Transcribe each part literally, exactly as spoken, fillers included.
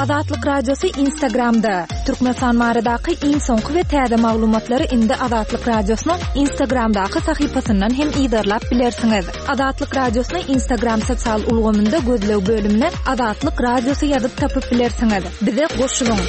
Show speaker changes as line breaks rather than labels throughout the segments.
Azatlyk Radiosy Instagramda. Türkmenistan baradaky iň soňky we täze maglumatlary indi Azatlyk Radiosynyň Instagramdaky sahypasyndan hem yzarlap bilersiňiz. Azatlyk Radiosyny Instagram sosial ulgamynda gözleg bölümine Azatlyk Radiosy ýazyp tapyp bilersiňiz. Bize goşulyň.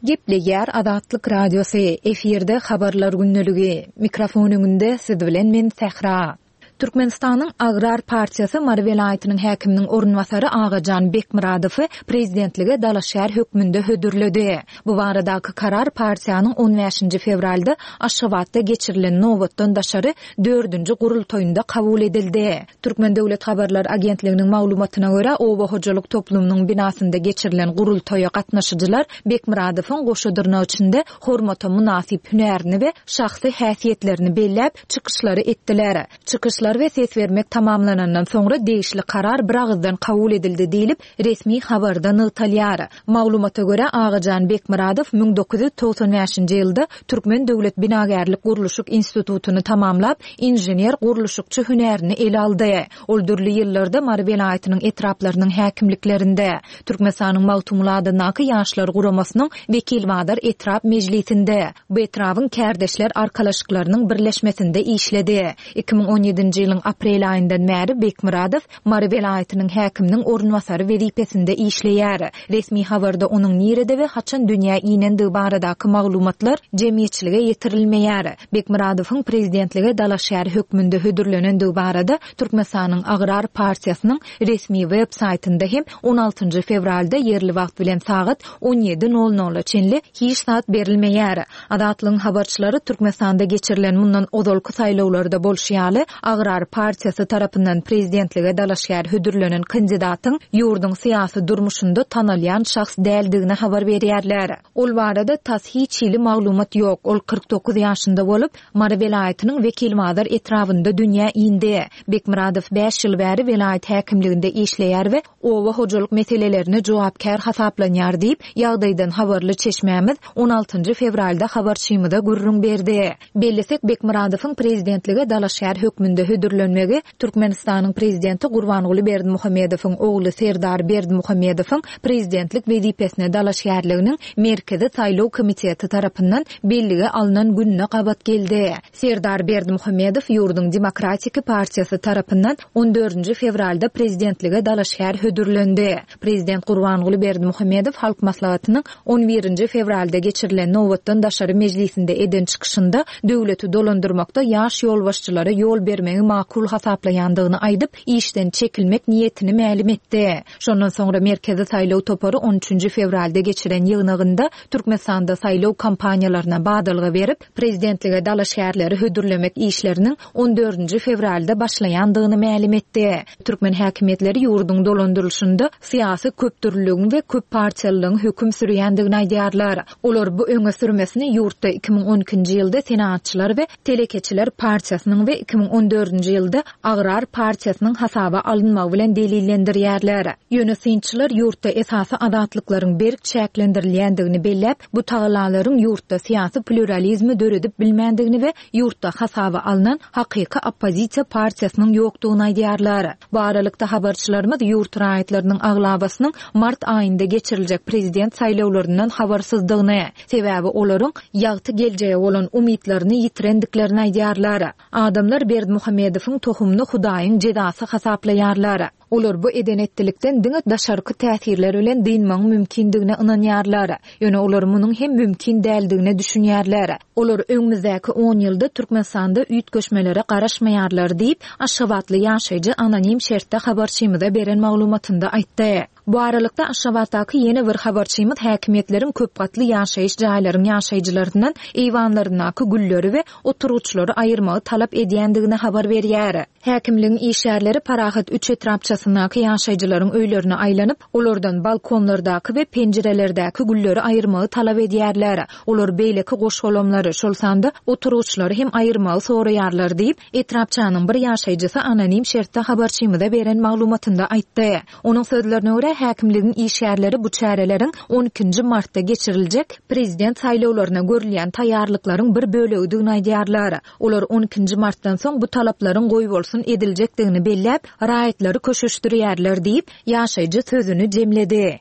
Gepleýär Azatlyk Radiosy, efirde habarlar gündeligi. Mikrofon öňünde siz bilen men Sähra. Türkmenistanyň Agrar partiýasy Mary welaýatynyň häkiminiň orunbasary Agajan Bekmyradowy prezidentlige dalaşgär hökmünde hödürledi. Bu baradaky karar partiýanyň on bäşinji fewralda Aşgabatda geçirilen nobatdan daşary dördünji gurultaýynda kabul edildi. Türkmen döwlet habarlar agentliginiň maglumatyna görä, oba hojalyk toplumynyň binasynda geçirilen gurultaýa gatnaşyjylar Bekmyradowyň goşa dyrnak içinde hormata mynasyp hünärini we şahsy häsiýetlerini belläp, çykyşlary etdiler. Çykyşlar we ses bermek tamamlanandan soňra degişli karar bir agyzdan kabul edildi diýlip, resmi habarda nygtalýar. Maglumata görä, Agajan Bekmyradow müň dokuz ýüz togsan bäşinji ýylda Türkmen döwlet binagärlik gurluşyk institutyny tamamlap, inžener gurluşykçy hünärini ele aldy. Ol dürli ýyllarda Mary welaýatynyň etraplarynyň häkimliklerinde, Türkmenistanyň Magtymguly adyndaky Ýaşlar guramasynyň Wekilbazar etrap mejlisinde, bu etrabyň kärdeşler arkalaşyklarynyň birleşmesinde işledi. Iki müň on ýedinji ýylyň aprel aýyndan bäri Bekmyradow Mary welaýatynyň häkiminiň orunbasary wezipesinde işleýär. Resmi habarda onuň nirede we haçan dünýä inendigi baradaky maglumatlar jemgyýetçilige ýetirilmeýär. Bekmyradowyň prezidentlige dalaşgär hökmünde hödürlenendigi barada Türkmenistanyň Agrar partiýasynyň resmi web saýtynda hem on altynjy fewralda ýerli wagt bilen sagat on ýedi nol nola çenli hiç zat berilmeýär. Azatlygyň habarçylary Türkmenistanda geçirilen mundan ozalky saýlawlarda bolşy ýaly Agrar partiýasy tarapyndan prezidentlige dalaşgär hödürlenen kandidatyň ýurduň syýasy durmuşynda tanalýan şahs däldigini habar berýärler. Ol barada tas hiç hili maglumat ýok. Ol kyrk dokuz ýaşynda bolup, Mary welaýatynyň Wekilbazar etrabynda dünýä indi. Bekmyradow bäş ýyl bäri welaýat häkimliginde işleýär we oba hojalyk meselelerine jogapkär hasaplanýar diýip, ýagdaýdan habarly çeşmämiz on altynjy fewralda habarçymyza gürrüň berdi. Bellisek Bekmyradowyň prezidentlige dalaşgär hökmünde hödürlenmegi Türkmenistanyň prezidenti Gurbanguly Berdimuhamedowyň ogly Serdar Berdimuhamedowyň prezidentlik wezipesine dalaşgärliginiň Merkezi saýlaw komiteti tarapyndan bellige alnan gününe gabat geldi. Serdar Berdimuhamedow ýurduň Demokratik partiýasy tarapyndan on dördünji fewralda prezidentlige dalaşgär hödürlendi. Prezident Gurbanguly Berdimuhamedow Halk Maslahatynyň on birinji fewralda geçirilen nobatdan daşary mejlisinde eden çykyşynda döwleti dolandyrmakda ýaş ýolbaşçylara ýol bermegi makul hasaplaýandygyny aýdyp, işden çekilmek niýetini mälim etdi. Şondan soňra Merkezi saýlaw topary on üçünji fewralda geçiren ýygnagynda Türkmenistanda saýlaw kampaniýalaryna badalga berip, prezidentlige dalaşgärleri hödürlemek işleriniň on dördünji fewralda başlaýandygyny mälim etdi. Türkmen häkimiýetleri ýurduň dolandyrylyşynda syýasy köpdürlüligiň we köp partiýalylygyň höküm sürýändigini aýdýarlar. Olar bu öňe sürmesini ýurtda iki müň on ikinji ýylda Senaatçylar we Telekeçiler partiýasynyň we iki müň on dördünji ýylda Agrar partiýasynyň hasaba alynmagy bilen delillendirýärler. Ýöne synçylar ýurtda esasy azatlyklaryň berk çäklendirilýändigini belläp, bu tagallalaryň ýurtda syýasy pluralizmi döredip bilmändigini we ýurtda hasaba alnan hakyky oppozisiýa partiýasynyň ýokdugyny aýdýarlar. Bu aralykda habarçylarymyz ýurt raýatlarynyň aglabasynyň mart aýynda geçiriljek prezident saýlawlaryndan habarsyzdygyny, sebäbi olaryň ýagty geljege bolan umytlaryny ýitirendiklerini aýdýarlar. Adamlar Berdimuhamedowyň tohumyny Hudaýyň jezasy hasaplaýarlar. Olar bu eden etdilikden diňe daşarky täsirler bilen dynmagyň mümkindigine ynanýarlar. Ýöne olar munuň hem mümkin däldigine düşünýärler. Olar öňümizdäki on ýylda Türkmenistanda üýtgeşmelere garaşmaýarlar diýip, Aşgabatly ýaşaýjy anonim şertde habarçymyza beren maglumatynda aýtdy. Bu aralykda Aşgabatdaky ýene bir habarçymyz häkimiýetleriň köp gatly ýaşaýyş jaýlaryň ýaşaýjylaryndan eýwanlaryndaky gülleri we oturgyçlary aýyrmagy talap edýändigini habar berýär. Häkimligiň işgärleri Parahat üç etrapçasyndaky ýaşaýjylaryň öýlerine aýlanyp, olardan balkonlardaky we penjirelerdäki gülleri aýyrmagy talap edýärler. Olar beýleki goşgolamlary, şol sanda oturgyçlary hem aýyrmagy soraýarlar diýip, etrapçanyň bir ýaşaýjysy anonim şertde habarçymyza beren maglumatynda aýtdy. Onuň sözlerine görä, häkimligiň işgärleri bu çäreleriň on ikinji martda geçiriljek prezident saýlawlaryna görülýän taýýarlyklaryň bir bölegidigini aýdýarlar. Olar on ikinji martdan soň bu talaplaryň goýbolsun ediljekdigini belläp, raýatlary köşeşdirýärler diýip, ýaşaýjy sözüni jemledi.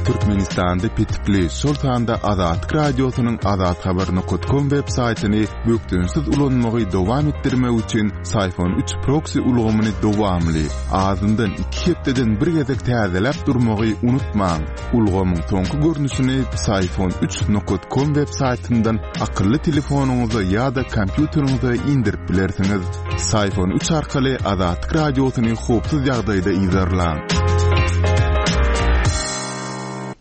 Türkmenistanda petikli, şol sanda Azatlyk Radiosynyň azathabar nokta com web saýtyny bökdençsiz ulanmagy dowam etdirmek üçin Syfon üç proksi ulgamyny dowamly, azyndan iki hepdeden bir gezek täzeläp durmagy unutmaň. Ulgamyň soňky görnüşini Syfon üç nokta com web saýtyndan akylly telefonyňyza ýa-da kompýuteriňize indirip bilersiňiz. Syfon üç arkaly Azatlyk Radiosyny howpsuz ýagdaýda yzarlaň.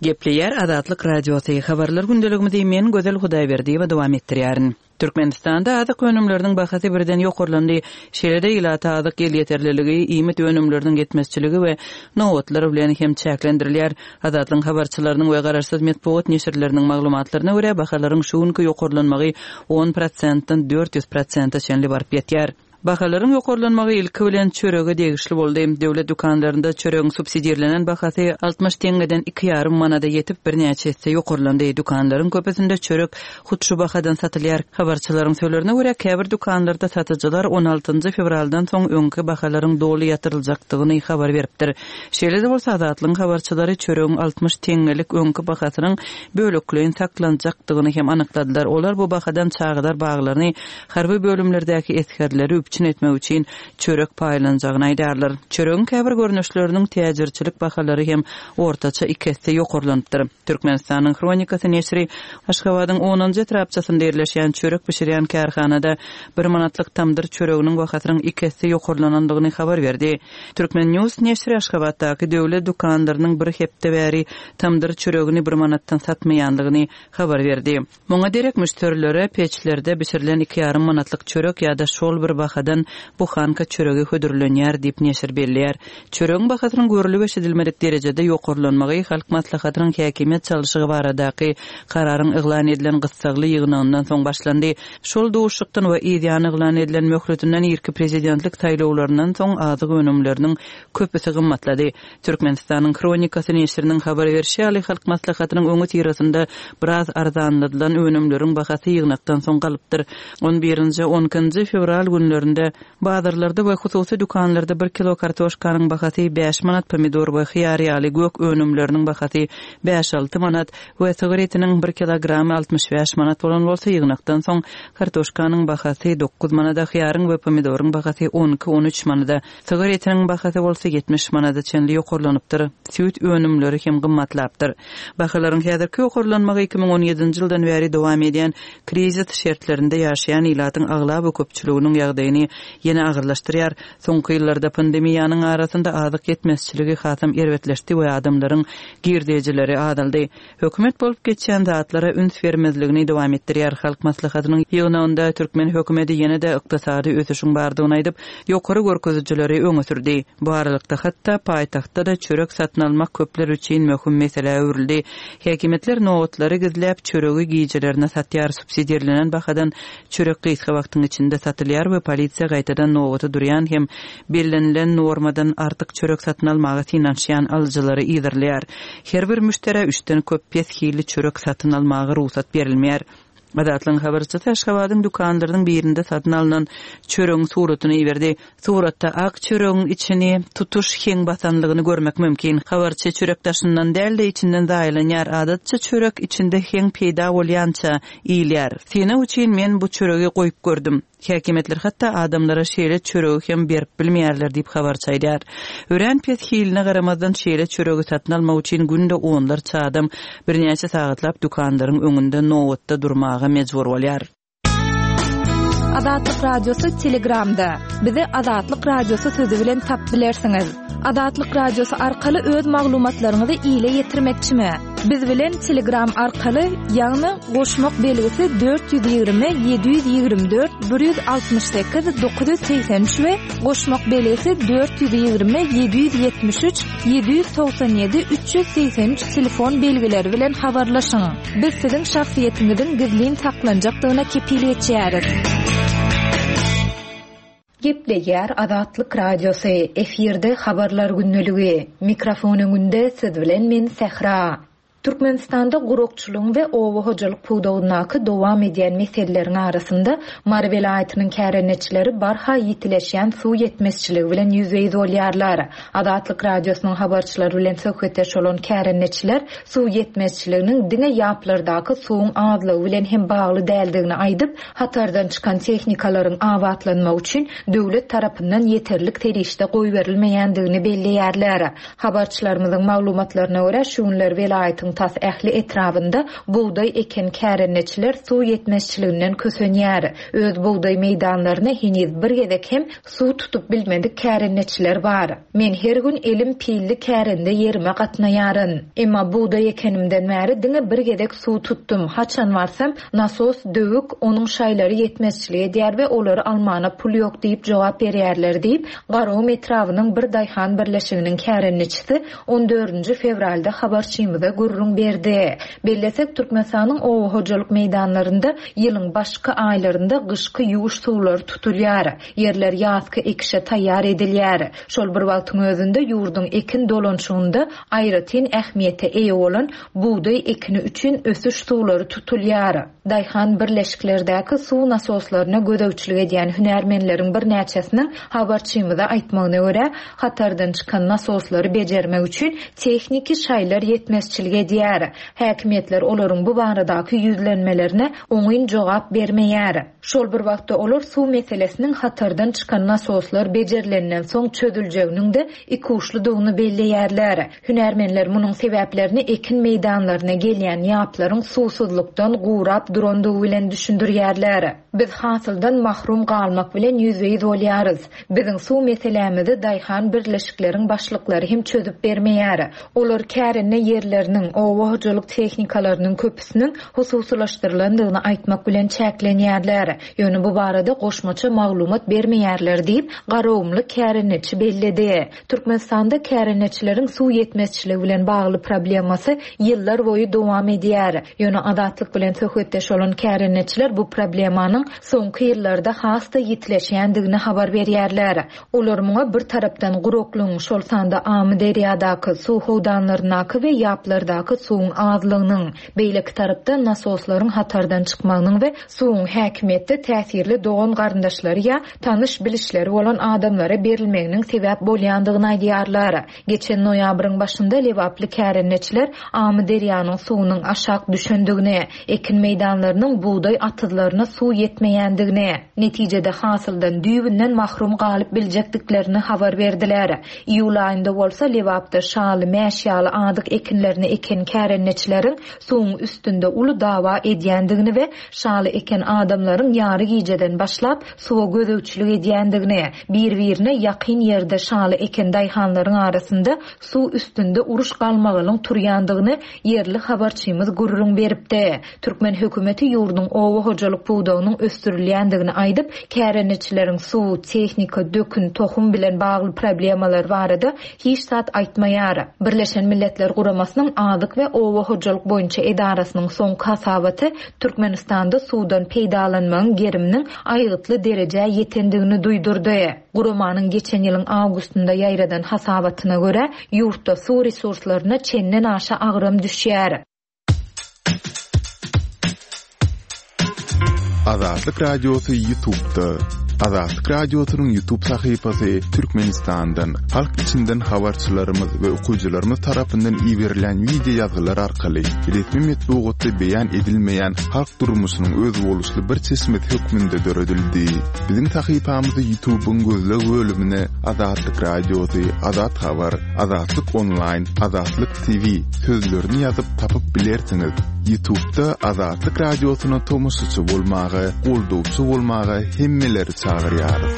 Gepleýär Azatlyk Radiosy. Habarlar gündeligimizi men Gözel Hudaýberdiýewa dowam etdirýärin. Türkmenistanda azyk önümleriniň bahasy birden ýokarlandy. Şeýle-de ilata azyk elýeterliligi, iýmit önümleriniň ýetmezçiligi we nobatlar bilen hem çäklendirilýär. Azatlygyň habarçylarynyň we garaşsyz metbugat neşirleriniň maglumatlaryna görä bahalaryň şu günki ýokarlanmagy on prosentden dört ýüz prosente çenli baryp ýetýär. Bahalaryň ýokarlanmagy ilki bilen çörege degişli boldy. Döwlet dükanlarynda çöregiň subsidirlenen bahasy altmyş teňňeden iki ýarym manada ýetip birnäçe esse ýokarlandy. Dükanlaryň köpüsinde çörek hut şu bahadan satylýar. Habarçylaryň sözlerine görä käbir dükanlarda satyjylar on altynjy fewraldan soň öňki bahalaryň doly ýatyryljakdygyny habar beripdir. Şeýle-de bolsa Azatlygyň habarçylary çöregiň altmyş teňňelik öňki bahasynyň bölekleýin saklanjakdygyny hem anykladylar. Olar bu bahadan çagalar baglaryny harby bölümlerdäki esgerleri üpjün etmek üçin çörek paýlanjagyny aýdarlar. Çöregiň käbir görnüşleriniň täjirçilik bahalary hem ortaça iki esse ýokarlanypdyr. Türkmenistanyň Hronikasy neşiri Aşgabadyň onunjy etrapçasynda ýerleşýän çörek bişirýän kärhanada bir manatlyk tamdyr çöreginiň bahasynyň iki esse ýokarlanandygyny habar berdi. Türkmen News neşiri Aşgabatdaky döwlet dükanlarynyň bir hepde bäri tamdyr çöregini bir manatdan satmaýandygyny habar berdi. Muňa derek müşderilere peçlerde bişirilen iki ýarym manatlyk çörek ýa-da şol bir bahadan buhanka çöregi hödürlenýär diýip neşir belleýär. Çöregiň bahasynyň görülip eşidilmedik derejede ýokarlanmagy Halk Maslahatynyň häkimiýet çalşygy baradaky kararyň yglan edilen gyssagly ýygnagyndan soň başlandy. Şol duşuşykdan we ýan yglan edilen möhletinden irki prezidentlik saýlawlaryndan soň azyk önümleriniň köpüsi gymmatlady. Türkmenistanyň Hronikasy neşiriniň habar berşi ýaly Halk Maslahatynyň öňi syrasynda biraz arzanladylan önümleriň bahasy ýygnakdan soň galypdyr. On birinji, on ikinji fewral günlerinde bazarlarda we hususy dükanlarda bir kilo kartoşkanyň bahasy bäş manat, pomidor we hyýar ýaly gök önümleriniň bahasy bäş alty manat we sygyr etiniň bir kilogramy altmyş bäş manat bolan bolsa ýygnakdan soň kartoşkanyň bahasy dokuz manada, hyýaryň we pomidoryň bahasy on iki, on üç manada, sygyr etiniň bahasy bolsa ýetmiş manada çenli ýokarlanypdyr. Süýt önümleri hem gymmatlapdyr. Bahalaryň häzirki ýokarlanmagy iki müň on ýedinji ýyldan bäri dowam edýän krizis şertlerinde ýaşaýan ilatyň aglaba köpçüliginiň ýagdaýyny ýene agyrlaşdyrýar. Soňky ýyllarda pandemiýanyň arasynda azyk ýetmezçiligi hasam erbetleşdi we adamlaryň girdejileri azaldy. Hökümet bolup geçýän zatlara üns bermezligini dowam etdirýär. Halk Maslahatynyň ýygnagynda türkmen hökümeti ýene-de ykdysady ösüşiň bardygyny aýdyp, ýokary görkezijileri öňe sürdi. Bu aralykda hatda paýtagtda-da çörek satyn almak köpler üçin möhüm meselä öwrüldi. Häkimiýetler nobatlary gizläp çöregi gijelerine satýar, subsidirlenen bahadan çörek gysga wagtyň içinde satylýar we polisiýa gaýtadan nobata durýan hem bellenilen normadan artyk çörek satyn almaga synanyşýan alyjylary yzarlaýar. Her bir müşderä üçden köp pes hilli çörek satyn almaga rugsat berilmeýär. Azatlygyň habarçysy Aşgabadyň dükanlarynyň birinde satyn alynan çöregiň suratyny iberdi. Suratda ak çöregiň içini tutuş heň basanlygyny görmek mümkin. Habarçy çörek daşyndan däl-de içinden zaýalanýar. Adatça çörek içinde heň peýda bolýança iýilýär. Synag üçin men bu çöregi goýup gördüm. Häkimiýetler hatda adamlara şeýle çöregi hem berip bilmeýärler diýip habarçy aýdýar. Örän pes hiline garamazdan şeýle çöregi satyn almak üçin günde onlarça adam birnäçe sagatlap dükanlaryň öňünde nobatda durmaga mejbur bolýar.
Azatlyk Radiosy Telegramda. Bizi Azatlyk Radiosy sözi bilen tap bilersiňiz. Azatlyk Radiosy arkaly öz maglumatlaryňyzy ile ýetirmekçimi? Biz bilen Telegram arkaly, ýagny goşmak belgisi dört ýüz ýigrimi, ýedi ýüz ýigrimi dört, bir ýüz altmyş sekiz, dokuz ýüz segsen üç we goşmak belgisi dört ýüz ýigrimi, ýedi ýüz ýetmiş üç, ýedi ýüz togsan ýedi, üç ýüz segsen üç telefon belgileri bilen habarlaşyň. Biz siziň şahsyýetiňiziň gizlin saklanjakdygyna kepil geçýäris. Gepleýär Azatlyk Radiosy, efirde Habarlar gündeligi. Mikrofon öňünde siz bilen men Sähra. Türkmenistanda gurakçylygyň we oba hojalyk pudagyndaky dowam edýän meseleleriň arasynda Mary welaýatynyň kärendeçileri barha ýitileşýän suw ýetmezçiligi bilen ýüzbe-ýüz bolýarlar. Azatlyk Radiosynyň habarçylary bilen söhbetdeş bolan kärendeçiler suw ýetmezçiliginiň diňe ýaplardaky suwuň azlygy bilen hem bagly däldigini aýdyp, hatardan çykan tehnikalaryň abatlanmagy üçin döwlet tarapyndan ýeterlik serişde goýberilmeýändigini belleýärler. Habarçylarymyzyň maglumatlaryna görä, şu günler welaýatyň tas ähli etrabynda bugdaý eken kärendeçiler suw ýetmezçiliginden kösenýär. Öz bugdaý meýdanlaryna heniz bir gezek hem suw tutup bilmedik kärendeçiler bar. Men her gün elim pilli kärende ýerime gatnaýaryn. Emma bugdaý ekenimden bäri diňe bir gezek suw tutdum. Haçan barsam, nasos döwük, onuň şaýlary ýetmezçilik edýär we olary almana pul ýok diýip jogap berýärler diýip, Garagum etrabynyň bir daýhan birleşiginiň kärendeçisi on dördünji fewralda habarçymyza gürrüň berdi. Bellesek, Türkmenistanyň oba hojalyk meýdanlarynda ýylyň başky aýlarynda gyşky ýuwuş suwlary tutulýar. Ýerler ýazky ekişe taýýar edilýär. Şol bir wagtyň özünde ýurduň ekin dolanşygynda aýratyn ähmiýete eýe bolan bugdaý ekini üçin ösüş suwlary tutulýar. Daýhan birleşiklerdäki suw nasoslaryna gözegçilik edýän hünärmenleriň birnäçesiniň habarçymyza aýtmagyna görä, hatardan çykan nasoslary bejermek üçin tehniki şaýlar ýetmezçilik edýär. Häkimiýetler olaryň bu baradaky ýüzlenmelerine oňyn jogap bermeýär. Şol bir wagtda olar suw meselesiniň hatardan çykan nasoslar bejerilenden soň çözüljeginiň de ikuçludygyny belleýärler. Hünärmenler munuň sebäplerini ekin meýdanlaryna gelýän ýaplaryň suwsuzlykdan gurap durandygy bilen düşündirýärler. Biz hasyldan mahrum galmak bilen ýüzbe-ýüz bolýarys. Biziň suw meselämizi daýhan birleşikleriň başlyklary hem çözüp bermeýär. Olar kärende ýerleriniň, oba hojalyk tehnikalarynyň köpüsiniň hususylaşdyrylandygyny aýtmak bilen çäklenýärler. Ýöne bu barada goşmaça maglumat bermeýärler diýip, Garagumly kärendeçi belledi. Türkmenistanda kärendeçileriň suw ýetmezçiligi bilen bagly problemasy ýyllar boýy dowam edýär. Ýöne Azatlyk bilen söhbetdeş bolan kärendeçiler bu problemanyň soňky ýyllarda has-da ýitileşýändigini habar berýärler. Olar muňa bir tarapdan guraklygyň, şol sanda Amyderýadaky, suw howdanlaryndaky we ýaplardaky suwuň azlygynyň, beýleki tarapdan nasoslaryň hatardan çykmagynyň we suwuň häkimiýetde täsirli dogan garyndaşlary ýa tanyş bilişleri bolan adamlara berilmeginiň sebäp bolýandygyny aýdýarlar. Geçen noýabryň başynda Lebaply kärendeçiler Amyderýanyň suwunyň aşak düşendigini, ekin meýdanlarynyň bugdaý atyzlaryna suw ýetmeýändigini, netijede hasyldan düýbünden mahrum galyp biljekdiklerini habar berdiler. Iýul aýynda bolsa Lebapda şaly, mäş ýaly adyk ekinlerini eken kärendeçileriň suwuň üstünde uly dawa edýändigini we şaly eken adamlaryň ýary gijeden başlap suwa gözegçilik edýändigini, bir-birine ýakyn ýerde şaly eken daýhanlaryň arasynda suw üstünde uruş galmagalyň turýandygyny ýerli habarçymyz gürrüň beripdi. Türkmen hökümeti ýurduň oba hojalyk pudagynyň ösdürilýändigini aýdyp, kärendeçileriň suw, tehnika, dökün, tohum bilen bagly problemalar barada hiç zat aýtmaýar. Birleşen Milletler Guramasynyň Azyk we Oba hojalyk boýunça edarasynyň soňky hasabaty Türkmenistanda suwdan peýdalanmagyň geriminiň aýgytly derejä ýetendigini duýdurdy. Guramanyň geçen ýylyň awgustynda ýaýradan hasabatyna görä, ýurtda suw resurslaryna çenden aşa agram düşýär.
Azatlyk Radiosy YouTube'da. Azatlyk Radiosynyň YouTube sahypasy Türkmenistandan, halk içinden habarçylarymyz we okyjylarymyz tarapyndan iberilen video ýazgylar arkaly resmi metbugatda beýan edilmeýän halk durmuşynyň özboluşly bir çeşmesi hökmünde döredildi. Biziň sahypamyzy YouTube'yň gözleg bölümine Azatlyk Radiosy, Azat Habar, Azatlyk Online, Azatlyk T V sözlerini ýazyp tapyp bilersiňiz. YouTube'da Azatlyk Radiosyna tomaşaçy bolmaga, goldawçy bolmaga hemmeleri çagyrýarys.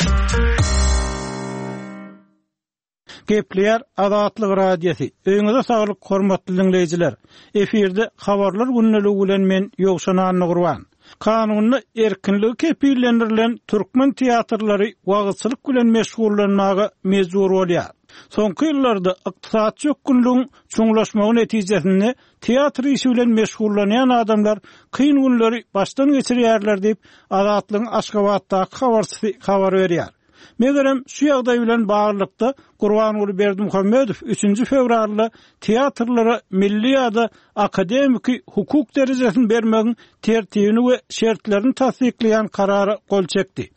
Gepleýär Azatlyk Radiosy. Öýüňize saglyk hormatly dinleýjiler. Efirde habarlar gündeligi bilen men Ýowşan Annagurban. Kanunda erkinligi kepillendirilen türkmen teatrlary wagtçylyk bilen meşgullanmaga mejbur bolýar. Soňky ýyllarda ykdysady çökgünligiň çuňlaşmagy netijesinde teatr işi bilen meşgullanýan adamlar kyn günleri başdan geçirýärler diýip Azatlygyň Aşgabatdaky habarçysy habar berýär. Megerem şu ýagdaý bilen baglylykda Gurbanguly Berdimuhamedow üçünji fewralda teatrlara milli ýa-da akademiki hukuk derejesini bermegiň tertibini we şertlerini tassyklaýan karara gol çekdi.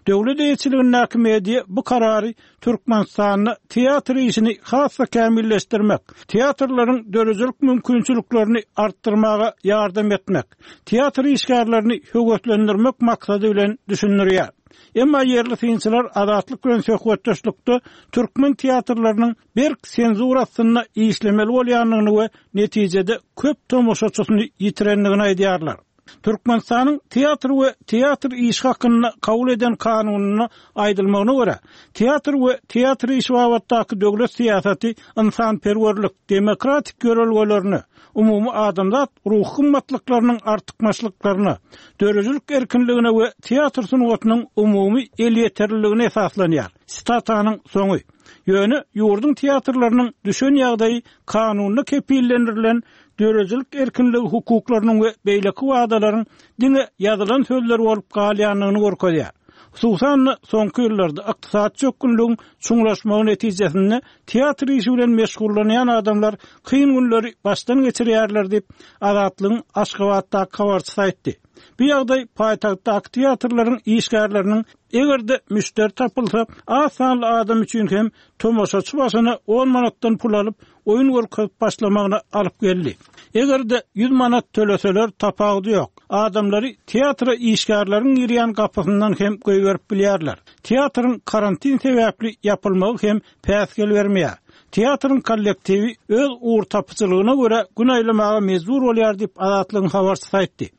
Döwlet eýeçiligindäki media bu karary Türkmenistanda teatr işini has-da kämilleşdirmek, teatrlaryň döredijilik mümkinçiliklerini artdyrmaga ýardam etmek, teatr işgärlerini höweslendirmek maksady bilen düşündirýär. Emma ýerli synçylar Azatlyk bilen söhbetdeşlikde türkmen teatrlarynyň berk senzura astynda işlemeli bolýandygyny we netijede köp tomaşaçysyny ýitirendigini aýdýarlar. Türkmenistanyň teatr we teatr işi hakynda kabul eden kanunyna aýdylmagyna görä, teatr we teatr işi babatdaky döwlet syýasaty ynsanperwerlik, demokratik ýörelgelerine, umumy adamzat ruhy gymmatlyklarynyň artykmaçlyklaryna, döredijilik erkinligine we teatr sungatynyň umumy elýeterliligine esaslanýar. Sitatanyň soňy. Ýöne ýurduň teatrlarynyň düşen ýagdaýy kanunda kepillendirilen döredijilik erkinligi hukuklarynyň we beýleki wadalaryň diňe ýazylan sözler bolup galýandygyny görkezýär. Hususan-da soňky ýyllarda ykdysady çökgünligiň çuňlaşmagy netijesinde teatr işi bilen meşgullanýan adamlar kyn günleri başdan geçirýärler diýip, Azatlygyň Aşgabatdaky habarçysy aýtdy. Bu ýagdaý paýtagtdaky teatrlaryň işgärleriniň eger-de müşderi tapylsa, az sanly adam üçin hem tomaşaçy başyna on manatdan pul alyp, oýun görkezip başlamagyna alyp geldi. Eger-de ýüz manat töleseler tapawudy ýok. Adamlary teatra işgärleriň girýän gapysyndan hem goýberip bilýärler. Teatryň karantin sebäpli ýapylmagy hem päsgel bermeýär. Teatryň kollektiwi öz ugur tapyjylygyna görä gün aýlamaga mejbur bolýar diýip Azatlygyň habarçysy aýtdy.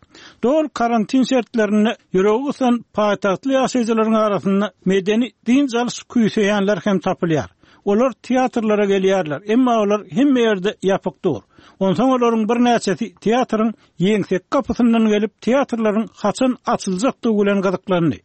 Dol karantin şertlerinde ýüregi gysan paýtagtly ýaşaýjylaryň arasynda medeni dynç alyş küýseýänler hem tapylýar. Olar teatrlara gelýärler, emma olar hemme ýerde ýapyk dur. Onsoň olaryň birnäçesi teatryň ýeňsek gapysyndan gelip, teatrlaryň haçan açyljakdygy bilen gyzyklandy.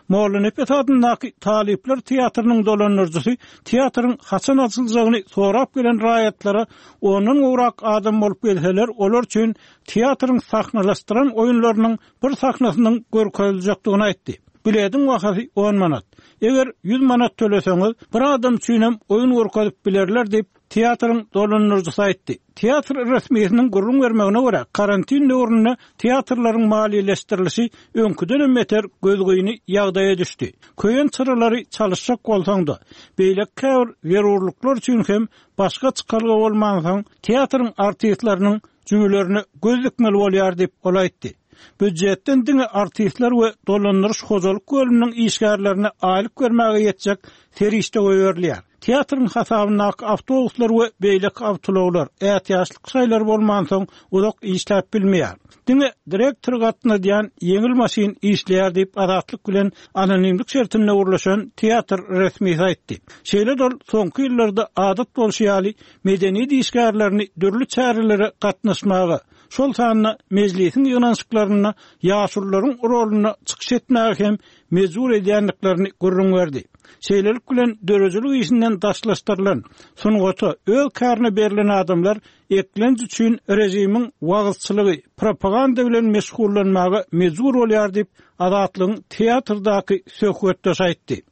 Mollanepes adyndaky Talyplar teatrynyň dolandyryjysy teatryň haçan açyljagyny sorap gelen raýatlara ondan gowrak adam bolup gelseler, olar üçin teatryň sahnalaşdyran oýunlarynyň bir sahnasynyň görkeziljekdigini aýtdy. Bilediň bahasy on manat. Eger ýüz manat töleseňiz, bir adam üçin hem oýun görkezip bilerler diýip, teatryň dolandyryjysy aýtdy. Teatr resmisiniň gürrüň bermegine görä, karantin döwründe teatrlaryň maliýeleşdirilişi öňküden hem beter gözgyny ýagdaýa düşdi. Köýen çyralary çalışjak bolsaň-da, beýleki käbir zerurlyklar üçin hem başga çykalga bolmansoň, teatryň artistleriniň jübülerine göz dikmeli bolýar diýip ol aýtdy. Býujetden diňe artistler we dolandyryş hojalyk bölüminiň işgärlerine aýlyk bermäge ýetjek serişde goýberilýär. Teatryň hasabyndaky awtobuslar we beýleki awtoulaglar ätiýaçlyk şaýlary bolmansoň uzak işläp bilmeýär. Diňe direktor gatnadýan ýeňil maşyn işleýär diýip Azatlyk bilen anonimlik şertinde gurlaşan teatr resmisi aýtdy. Şeýle dol soňky ýyllarda adat bolşy ýaly medeniýet işgärlerini dürli çärelere gatnaşmaga, şol sanda mejlisiň ýygnanyşyklarynda ýaşulularyň roluna çykyş etmäge hem mejbur edýändiklerini gürrüň berdi. Şeýlelik bilen döredijilik işinden daşlaşdyrylan, sungata öz kärine berlen adamlar eklenç üçin rejimiň wagyzçylygy, propaganda bilen meşgullanmaga mejbur bolýar diýip Azatlygyň teatrdaky söhbetdeşi aýtdy.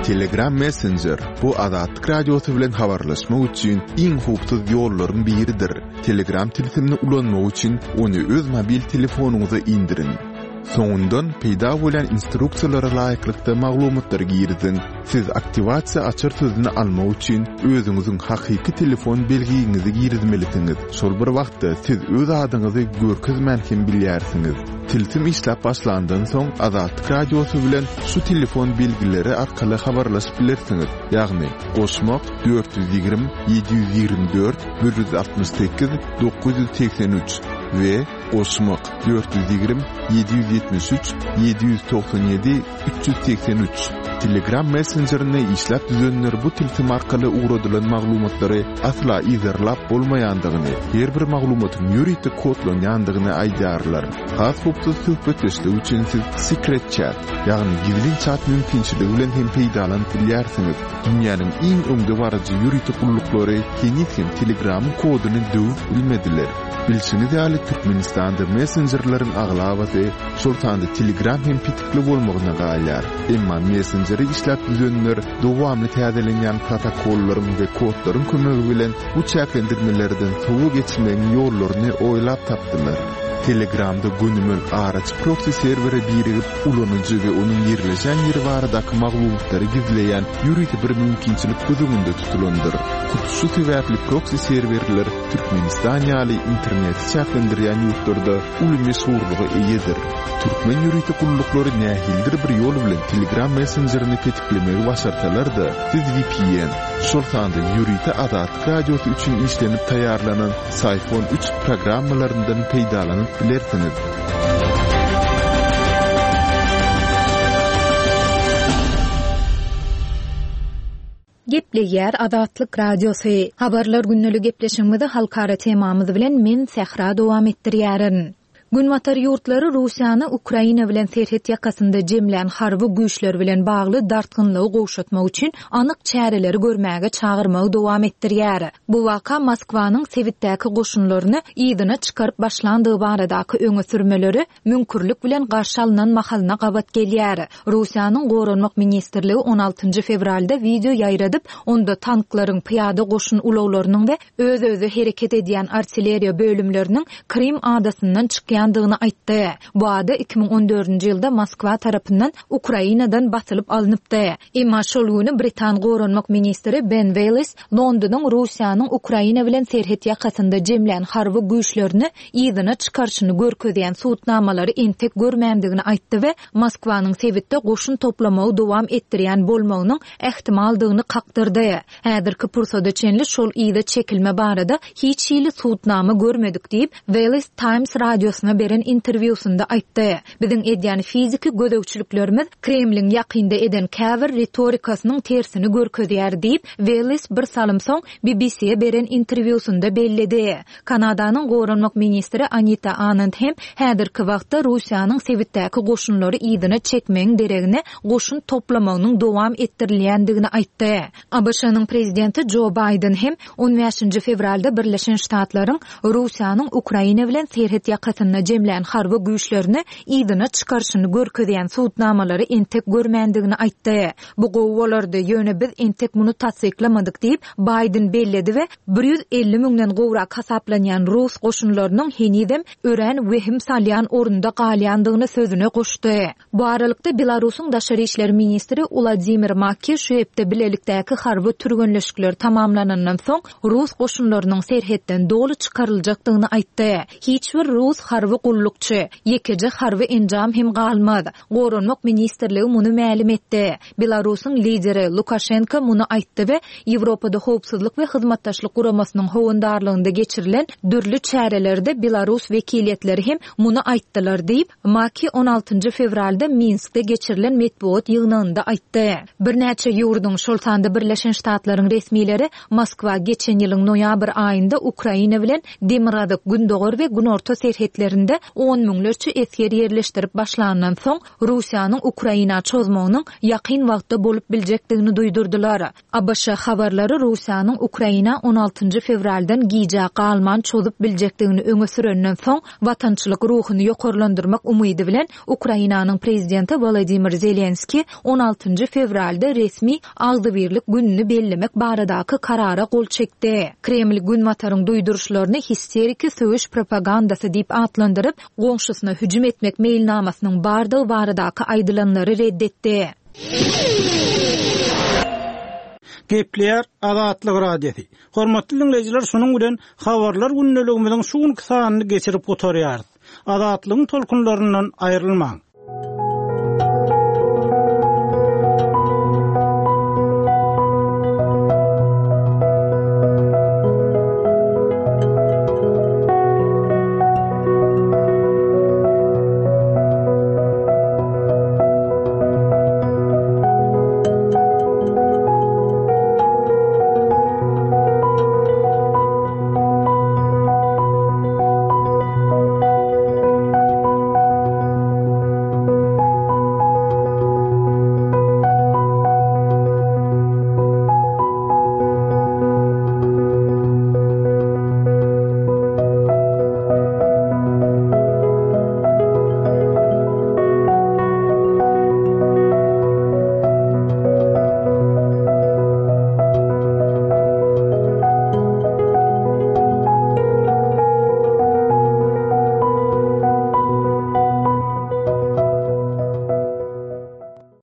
Telegram Messenger bu Azatlyk Radiosy bilen habarlaşmak üçin iň howpsuz ýollaryň biridir. Telegram tilsimini ulanmak üçin ony öz mobil telefonyňyza indiriň. Soňundan peýda bolan instruksiýalara laýyklykda maglumatlary giriziň. Siz aktiwasiýa açar sözüni almak üçin özüňiziň hakyky telefon belgiňizi girizmelisiňiz. Şol bir wagtda siz öz adyňyzy görkezmän hem bilýärsiňiz. Tilsim işläp başlandan soň Azatlyk Radiosy bilen şu telefon belgileri arkaly habarlaşyp bilersiňiz. Ýagny goşmak dört ýüz ýigrimi ýedi ýüz ýigrimi dört bir ýüz altmyş sekiz dokuz ýüz segsen üç we goşmak dört ýüz ýigrimi ýedi ýüz ýetmiş üç ýedi ýüz togsan ýedi üç ýüz segsen üç. Telegram messenjerini işläp düzenler bu tilsim arkaly ugradylan maglumatlary asla yzarlap bolmaýandygyny, her bir maglumatyň ýörite kodlanýandygyny aýdýarlar. Has howpsuz söhbetdeşlik üçin siz Secret Chat, ýagny gizlin chat mümkinçiligi bilen hem peýdalanyp bilýärsiňiz. Dünýäniň iň öňde baryjy ýörite gulluklary heniz hem Telegramyň koduny döwüp bilmediler. Bilşiňiz ýaly, Türkmenistanda messenjerleriň aglabasy, şol sanda Telegram hem petikli bolmagyna galýar. Emma messenjeri işläp düzenler dowamly täzelenýän protokollaryň we kodlaryň kömegi bilen bu çäklendirmelerden sowa geçmegiň ýollaryny oýlap tapdylar. Telegramda gönümel araçy proksi serwere birigip, ulanyjy we onuň ýerleşen ýeri baradaky maglumatlary gizleýän ýörite bir mümkinçilik göz öňünde tutulandyr. Hut şu sebäpli proksi serwerler Türkmenistan ýaly interneti çäklendirýän ýurtlarda uly meşhurlyga eýedir. Türkmen ýörite gulluklary nähilidir bir ýol bilen Telegram messenjerini petiklemegi başarsalar-da, siz V P N, şol sanda ýörite Azatlyk Radiosy üçin işlenip taýýarlanan Psiphon üç programmalaryndan peýdalanyp bilersiňiz.
Gepleýär Azatlyk Radiosy. Habarlar gündelik gepleşigimizi halkara temamyz bilen men Sähra dowam etdirýärin. Günbatar ýurtlary Russiýany Ukraina bilen serhet ýakasynda jemlän harby güýçler bilen bagly dartgynlygy gowşatmak üçin anyk çäreleri görmäge çagyrmagy dowam etdirýär. Bu waka Moskwanyň sebitdäki goşunlaryny yzyna çykaryp başlandygy baradaky öňe sürmeleri müňkürlik bilen garşy alynan mahalyna gabat gelýär. Russiýanyň Goranmak ministrligi on altynjy fewralda wideo ýaýradyp, onda tanklaryň, pyýada goşun ulaglarynyň we öz-özi hereket edýän artilleriýa bölümleriniň Krim adasyndan çykýandygyny aýtdy. Bu ada iki müň on dördünji ýylda Moskwa tarapyndan Ukrainadan basylyp alnypdy. Emma şol güni Britan Goranmak ministri Ben Wallace Londonyň Russiýanyň Ukraina bilen serhet ýakasynda jemlän harby güýçlerini yzyna çykaryşyny görkezýän subutnamalary entek görmändigini aýtdy we Moskwanyň sebitde goşun toplamagy dowam etdirýän bolmagynyň ähtimaldygyny kakdyrdy. Häzirki pursada çenli şol yza çekilme barada hiç hili subutnama görmedik diýip, Wallace Times radiosyna beren interwýusynda aýtdy. Biziň edýän fiziki gözegçiliklerimiz Kremliň ýakynda eden käbir ritorikasynyň tersini görkezýär diýip, Wallace bir salym soň B B C-ye beren interwýusynda belledi. Kanadanyň Goranmak ministri Anita Anand hem häzirki wagtda Russiýanyň sebitdäki goşunlary yzyna çekmegiň deregine goşun toplamagynyň dowam etdirilýändigini aýtdy. A B Ş-nyň prezidenti Joe Biden hem on bäşinji fewralda Birleşen Ştatlaryň Russiýanyň Ukraina bilen serhet ýakasynda jemlän harby güýçlerini yzyna çykaryşyny görkezýän subutnamalary entek görmändigini aýtdy. Bu gowy bolardy, ýöne biz entek muny tassyklamadyk diýip, Biden belledi we bir ýüz elli müňden gowrak hasaplanýan rus goşunlarynyň henizem örän wehim salýan orunda galýandygyny sözüne goşdy. Bu aralykda Belarusyň daşary işler ministri Wladimir Makki şu hepde bilelikdäki harby türgenleşikler tamamlanandan soň rus goşunlarynyň serhetden doly çykaryljakdygyny aýtdy. Hiç bir rus harby gullukçy, ýekeje harby enjam hem galmaz. Goranmak ministrligi muny mälim etdi. Belarusyň lideri Lukaşenko muny aýtdy we Ýewropada howpsuzlyk we hyzmatdaşlyk guramasynyň howandarlygynda geçirilen dürli çärelerde Belarus wekiliýetleri hem muny aýtdylar diýip, Maki on altynjy fewralda Minskde geçirilen metbugat ýygnagynda aýtdy. Birnäçe ýurduň, şol sanda Birleşen Ştatlaryň resmileri Moskwa geçen ýylyň noýabr aýynda Ukraina bilen demirgazyk, gündogar we günorta serhetlerinde on müňlerçe esger ýerleşdirip başlandan soň Russiýanyň Ukraina çozmagynyň ýakyn wagtda bolup biljekdigini duýdurdylar. A B Ş habarlary Russiýanyň Ukraina on altynjy fewraldan gijä galman çozup biljekdigini öňe sürenden soň watançylyk ruhuny ýokarlandyrmak umydy bilen Ukrainanyň prezidenti Wladimir Zelenski on altynjy fewralda resmi agzybirlik gününi bellemek baradaky karara gol çekdi. Kreml Günbataryň duýduryşlaryny histeriki söweş propagandasy diýip atlandyryp, goňşusyna hüjüm etmek meýilnamasynyň bardygy baradaky aýdylanlary reddetdi.
Gepleýär Azatlyk Radiosy. Hormatly dinleýjiler, şunuň bilen habarlar gündeligimiziň şu günki sanyny geçirip gutarýarys. Azatlygyň tolkunlaryndan aýrylmaň.